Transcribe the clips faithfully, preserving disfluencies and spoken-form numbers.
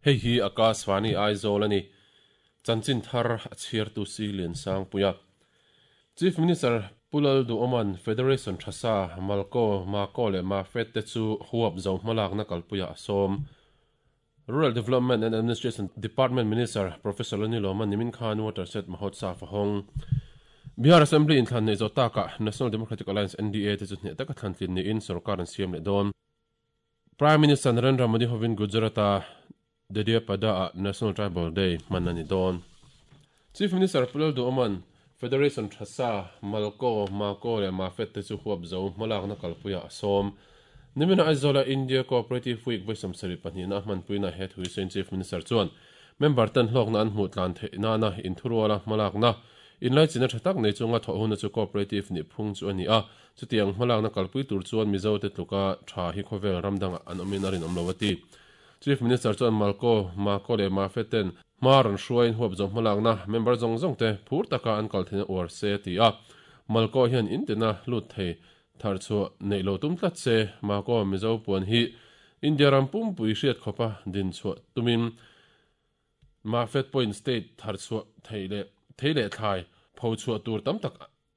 Hei hi Akashvani Aizawl ani. Chanchin thar a chhiar tu si lian sang puia. Chief Minister Pulal Du Oman Federation Thasa Malko Mako le Mafet te chu huap zo hmalak na kalpuia asom. Rural Development and Administration Department Minister Professor Lani Loman nimin khan water set mahotsav hong. Bihar Assembly in thlan nei zo taka National Democratic Alliance N D A te chu hne taka thlan tlin ni in sarkar an siam le don. Prime Minister Narendra Modi hovin Gujarata Dediapada National Tribal Day manani don. Chief Minister Pulal Du Oman Federation Thasa Malko Mako le Mafet te chu huap zo hmalak na kalpuia asom. Nimina Aizola India Cooperative Week voisam sari pahnih na hman puina he thui sen Chief Minister chuan member tan hlok na an hmu tlan the na na in thuruala hmalak na in lai china thatak nei chunga tho hun chu cooperative ni phung chu ani a chutiang hmalak na kalpui tur chuan Mizo te tluka tha hi khovel ramdanga an omin arin omlowati. Chief Minister chuan Malko Mako le Mafeten maran hruain huap zo hmalak na member zong zong te phur taka an kal thina or se ti a Malko hian intina lut thei thar chu nei lo tum tlat se Mako Mizo puan hi India ram pum pui hriat khopa din chu tumin Mafet Point State thar chu theile theile thlai pho chu tur tam tak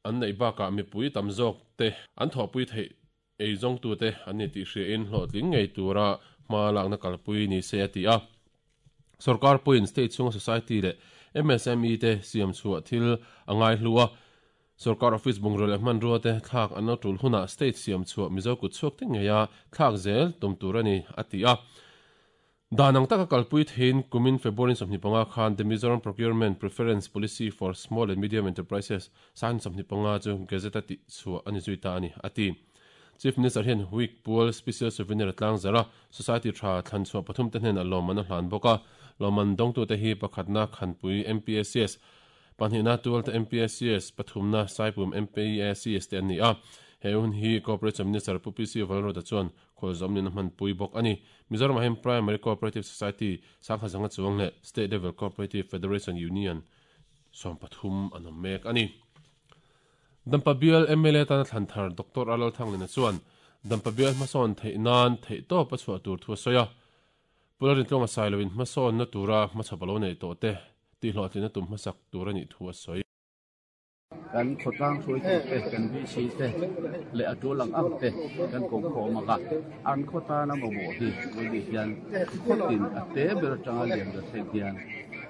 an nei baka mi pui tam zok te an tho pui thei ei zong tu te an ni ti hri in hlo tling ngei tura ma lak na kalpui ni se ati a Sarkar Point State chung Society le M S M E te siam chu thil angai hlua Sarkar office bungrol e man ro te thak an tul huna state siam chu Mizo ku chuk te ngeya thak zel tum turani ati a danang taka kalpui thein kumin February somni panga khan the Mizoram Procurement Preference Policy for Small and Medium Enterprises san somni panga chu gazette ti chu ani zuita ani ati. Chief Minister hian week pool special souvenir tlang zara society tha thlan chu pathum te hnen alom an hlan boka loman dong tu te hi pakhatna khanpui M P S S panhina tual te M P S S pathumna saipum M P S S te ani a heun hi Cooperative Minister Pu P C Valro ta chuan kholzom ni na hman pui bok ani. Mizoram hem Primary Cooperative Society sangha zanga chuang le State Level Cooperative Federation Union som pathum anom mek ani. Dampabial M L A tan thlanthar Doctor Alal Thanglina chuan Dampabial hmasawn thei nan thei to pa chhuah tur thu soya Pularin tlonga sailowin hmasawn na tura hmachhapalo nei to te ti hlawhtlina tum hmasak tur ani thu a sawi. Kan khotlang thui te kan bi si te le atu lang ang te kan ko kho ma ka an khota na mo mo hi bodi hian khotin ate ber tanga lian da thei hian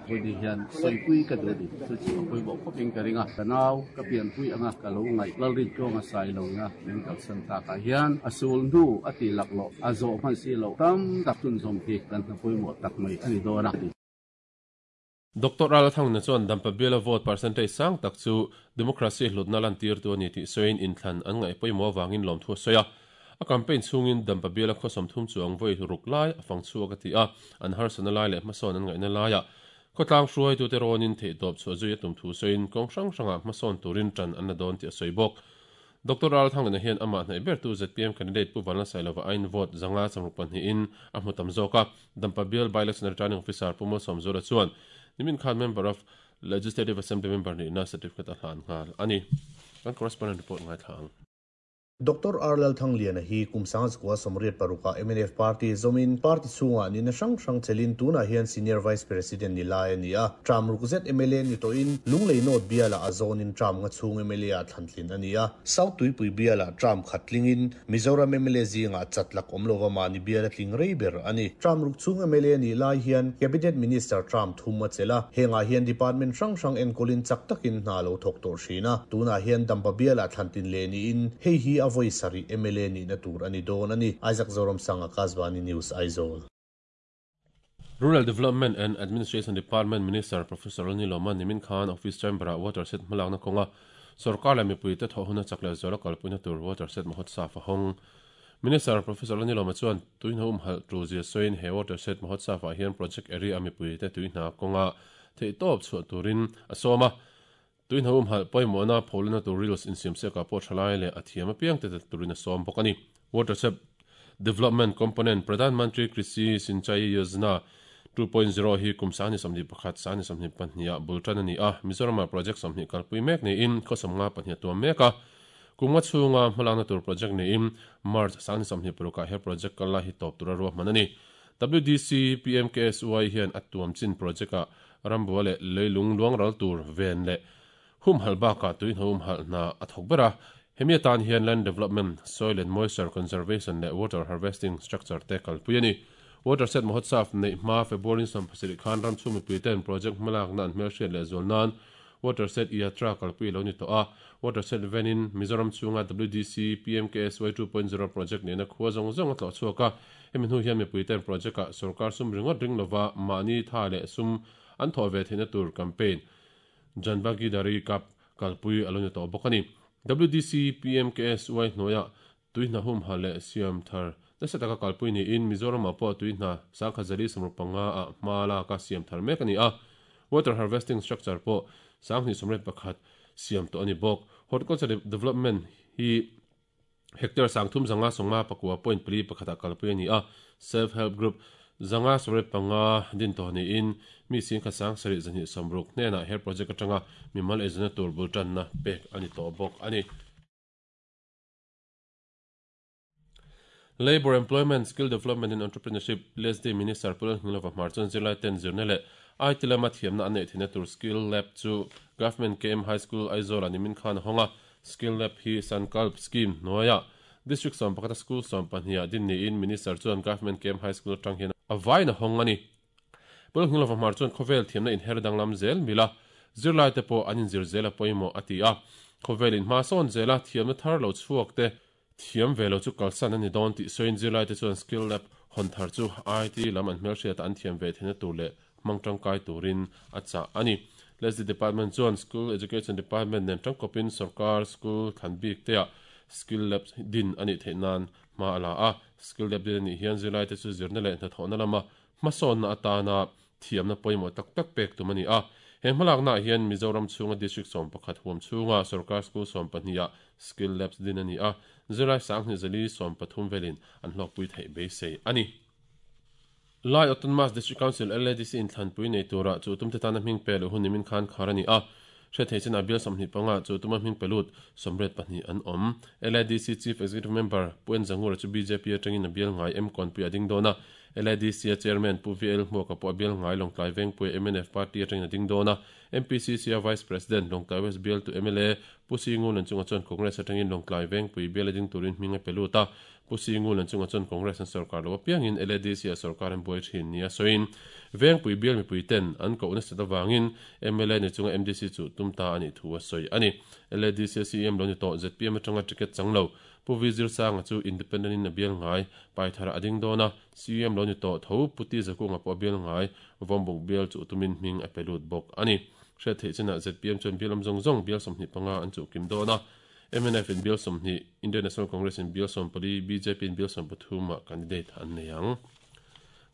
bodi hian soi pui ka do di chu chi pui bo khoping ka ringa kanau ka pian pui anga ka lo ngai lalrin tonga sai lo na min kal san ta ka hian asul nu ati lak lo azo man si lo tam tak tun zom hi kan na pui mo tak mai ani do na. Doctor Al Thang na chuan Dampabiala vote percentage sang tak chu democracy hlutna lan tir tu ani ti soin in thlan an ngai poimo wangin lom thu soya a campaign chungin Dampabiala khosom thum chuang voi ruk lai afang chu ka ti a an har sana lai le hmasawn an ngai na laia khotlang hruai tu te ronin thei top chu zui tum thu soin kong hrang hranga hmasawn turin tran an na don ti soi bok. Doctor Al Thang na hian ama hnai ber tu Z P M candidate Pu Vanla Sailova ain vote zanga samruk pan hi in a hmutam zoka Dampabial by election returning officer Pumo Somzora chuan nimin khan member of Legislative Assembly member ni na certificate a hlan ngal ani kan correspondent report ngai thang. Doctor Arlal Thangliana hi kumsang skwa somriat paruka M N F party zomin party chunga ni na sang sang chelin tuna hian senior vice president ni lai ani a tram rukzet M L A ni to in lunglei not biala azon in tram nga chung M L A a thlantlin ani a South Tuipui biala tram khatlingin Mizoram M L A zinga chatlak omlova mani biala tling reiber ani tram ruk chung M L A ni lai hian cabinet minister tram thuma chela henga hian department sang sang en kolin chaktakin na lo thok tor thina tuna hian dampa biala thlantin le ni in hei hi avoi sari M L A ni na tur ani don ani Isaac Zoram Sanga Kazwani News Aizawl. Rural Development and Administration Department Minister Professor Lani Loman nimin khan office chamber water set hmalak na konga sarkar la mipui te thohuna chakle zola kalpuina tur water set mahotsav hong. Minister Professor Lani Loma chuan tuin hum hal tu zia soin he water set mahotsav hian project area mipui te tuina konga thei top chu turin asoma tuin hum hal poimona pholna tur reels in sim se ka po thalai le athiam piang te turina som bokani water set development component Pradhan Mantri Krishi Sinchai Yojana two point zero hi kumsani samni pakhat sani samni pahnia bultan ani a Mizoram project samni kalpui mek ni in khosamnga pahnia to meka kumwa chunga hmalakna tur project ni in March sani samni puruka he project kala hi top tura ro manani W D C P M K S Y hian atuam chin project a rambua le leilung luang ral tur ven le hum halba ka tuin hum hal na athok bera hemi atan hian land development, soil and moisture conservation le water harvesting structure te kalpui ani. Water set Mahotsaf nei ma February som pasarih khan ram chumi puiten project malak na an hmelhriat leh zual nan water set yatra kalpui lo ni to a water set venin Mizoram chunga W D C P M K S Y two point zero project nena khua zong zong a tlo chhuaka hemi hnu hian mi puiten project a sarkar sum ringot ring lova mani tha leh sum an thaw ve theihna tur campaign Janbagi Dari Cup kalpui alo ni to bawk ani. W D C P M K S Y hnuaia tuihna hum ha leh siam thar nasa taka kalpui ni in Mizoram ah pawh tuihna sangkhazali samruk panga ah hma laka siam thar mek ani a water harvesting structure pawh sanghni somret pakhat siam to ani bawk. Horticulture development hi hectare sangthum zanga songma pakua point pli pakhata kalpui ani a self help group zanga somret panga din to ni in mi sing kha sang sari zani samruk hnena her project atanga mimal ezna tur bultan na pek ani to bawk ani. Labor, Employment, Skill Development and Entrepreneurship L S D Minister Pu Lalngilova Hmar chuan zirlai ten zirna leh I T lama thiamna an neih theihna tur Skill Lab chu Government K M High School Aizawl ani min khan hawnga Skill Lab hi Sankalp Scheme hnuaia District sawm pakhata School sawm pahnih din niin Minister chuan Government K M High School atang hian a vain a hawng ani. Pu Lalngilova Hmar chuan khawvel thiamna inher danglam zel mila zirlai te pawh an inzir zel a pawimawh a ti a khawvel in hma sawn zela thiamna thar lo chhuak te thiam velo chu kalsan ani dawn tih sawiin zirlai te chuan Skill Lab hawn thar chu I T lam an hmelhriat an thiam ve theihna tur leh hmang tangkai turin a chah ani. L S D Department chuan School Education Department nen tangkawpin sarkar school thlan bik te ah Skill Lab din ani theih nan hma a la a Skill Lab din ani hian zirlai te chu zirna leh hnathawhna lama hmasawnna atana thiamna pawimawh tak tak pek tum ani a he hmalakna hian Mizoram chhunga district sawm pakhat huam chhunga sarkar school sawm pahnih ah Skill Labs din ani a zirlai sanghni zali sawm pathum velin an hlawkpui theih beisei ani. Lai Autonomous District Council L A D C in thlanpui nei tura chu tum te tana hming pe lo hun nimin khan khar ani a hre thei chen a bial sawmhnih panga chu tuma hming pelut sawmriat pahnih an awm. L A D C Chief Executive Member Pu En Zangura chu B J P atangin a bial ngai M Kawnpui a ding dawn a L A D C a Chairman Pu V L Hmuaka pawh a bial ngai Lawngtlai Vengpui M N F Party atangin a ding dawn a M P C C a Vice President Lawngtlai West bial tu M L A Pu Singu lan chunga chuan Congress atangin Lawngtlai Vengpui bial a ding turin hming a pelut a Pu Singu lan chunga chuan Congress an sarkar lo apiangin L A D C a sarkar an buai thin nia sawiin Vengpui bial mipui ten an ko na set awangin M L A ni chunga M D C chu tumta ani thu a sawi ani. L A D C C M lo ni to Z P M atanga ticket changlo Pu V Zir Sanga chu independent in a bial ngai paithara ading dona C M lo ni to tho puti zakunga pawh bial ngai vombuk bial chu tumin hming a pelut bawk ani. Hre thei chena Z P M chuan bial awm zawng zawng bial sawmhnih panga an chu kim dawna M N F in bial sawmhnih Indian National Congress in bial sawm pali B J P in bial sawm pathum ah candidate an nei ang.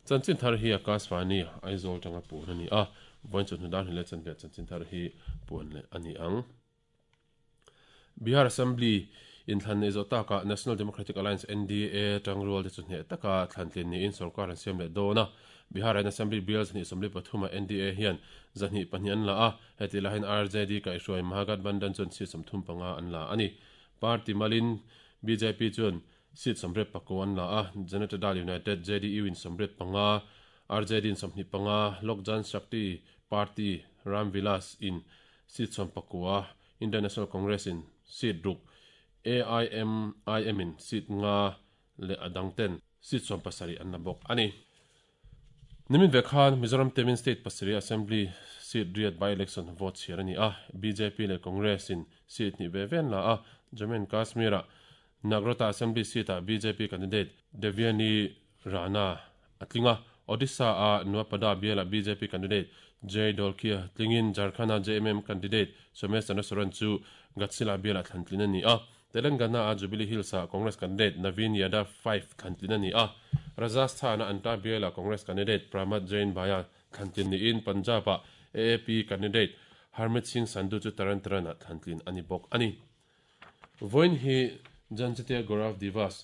Chanchin thar hi Akashvani Aizawl tanga puan ani a vawiin chu hnudan hi le chanve chanchin thar hi puan leh ani ang. Bihar Assembly in thlan nei zawh taka National Democratic Alliance N D A tangrual te chu hneh taka thlantlin niin sarkar an siam leh dawn a Bihar an Assembly bial zahnih sawmli pathum a N D A hian zahnih pahnih an la a heti lahin R J D kaihhruai Mahagathbandhan chuan seat sawmthum panga an la ani. Party malin B J P chuan seat sawmriat pakua an la a Janata Dal United J D U in sawmriat panga R J D in sawmhnih panga Lok Jan Shakti Party Ram Vilas in seat sawm pakua Indian National Congress in seat ruk A I M I M in seat nga le adang ten seat sawm pasarih an la bawk ani. Nimin ve khan Mizoram Temin State pasarih Assembly seat riat by election vote chhiar ani a B J P le Congress in seat ni ve ven la a Jammu and Kashmir a Nagrota Assembly seat a B J P candidate Devyani Rana atlinga Odisha a Nuapada bial a B J P candidate Jay Dolkia tlingin Jharkhand a J M M candidate Somesh Chandra Soren chu Gatsila bial a thlantlin ani a Telangana a Jubilee Hills a Congress candidate Naveen Yadav five thlantlin ani a Rajasthan a Anta bial a Congress candidate Pramod Jain Bhaya thlantlin niin Punjab a A A P candidate Harmeet Singh Sandhu chu Taran Taran a thlantlin ani bawk ani. Vawiin hi Janjatiya Gaurav Divas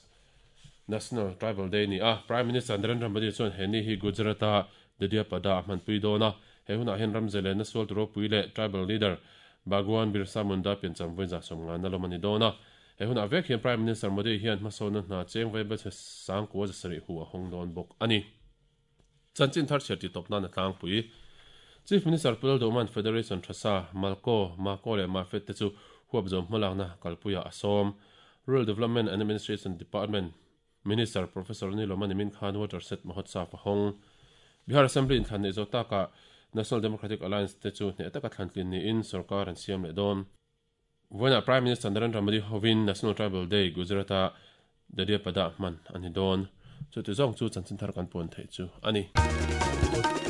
National Tribal Day ni a Prime Minister Narendra Modi chuan heni hi Gujarat a Dediapada a hmanpui dawn a he hunah hian ramzele na sual turo pui leh tribal leader Bhagwan Birsa Munda piancham vawiin za sawm nga na lawm ani dawn a he hunah vek hian Prime Minister Modi hian hmasawna hna cheng vai bel chhe sangkua za sarih hu a hawng dawn bawk ani. Chanchin thar chhiar ti tawp nan a tlangpui. Chief Minister Pu Lalduhman Federation Thasa, Malco, Mako leh Mafet te chu huap zawm hmalakna kalpuia a sawm. Rural Development and Administration Department Minister Professor Niloma Nimin Khan Water Set Mahotsav a hawng. Bihar Assembly inthlan neih zawh takah National Democratic Alliance te chu hneh taka thlantlin niin sorkar an siam leh dawn. Vawiinah Prime Minister Narendra Modi hovin National Tribal Day Gujarat-a Dediapada hman a ni dawn. Chuti zawng chu chanchin thar kan puan theih chu a ni.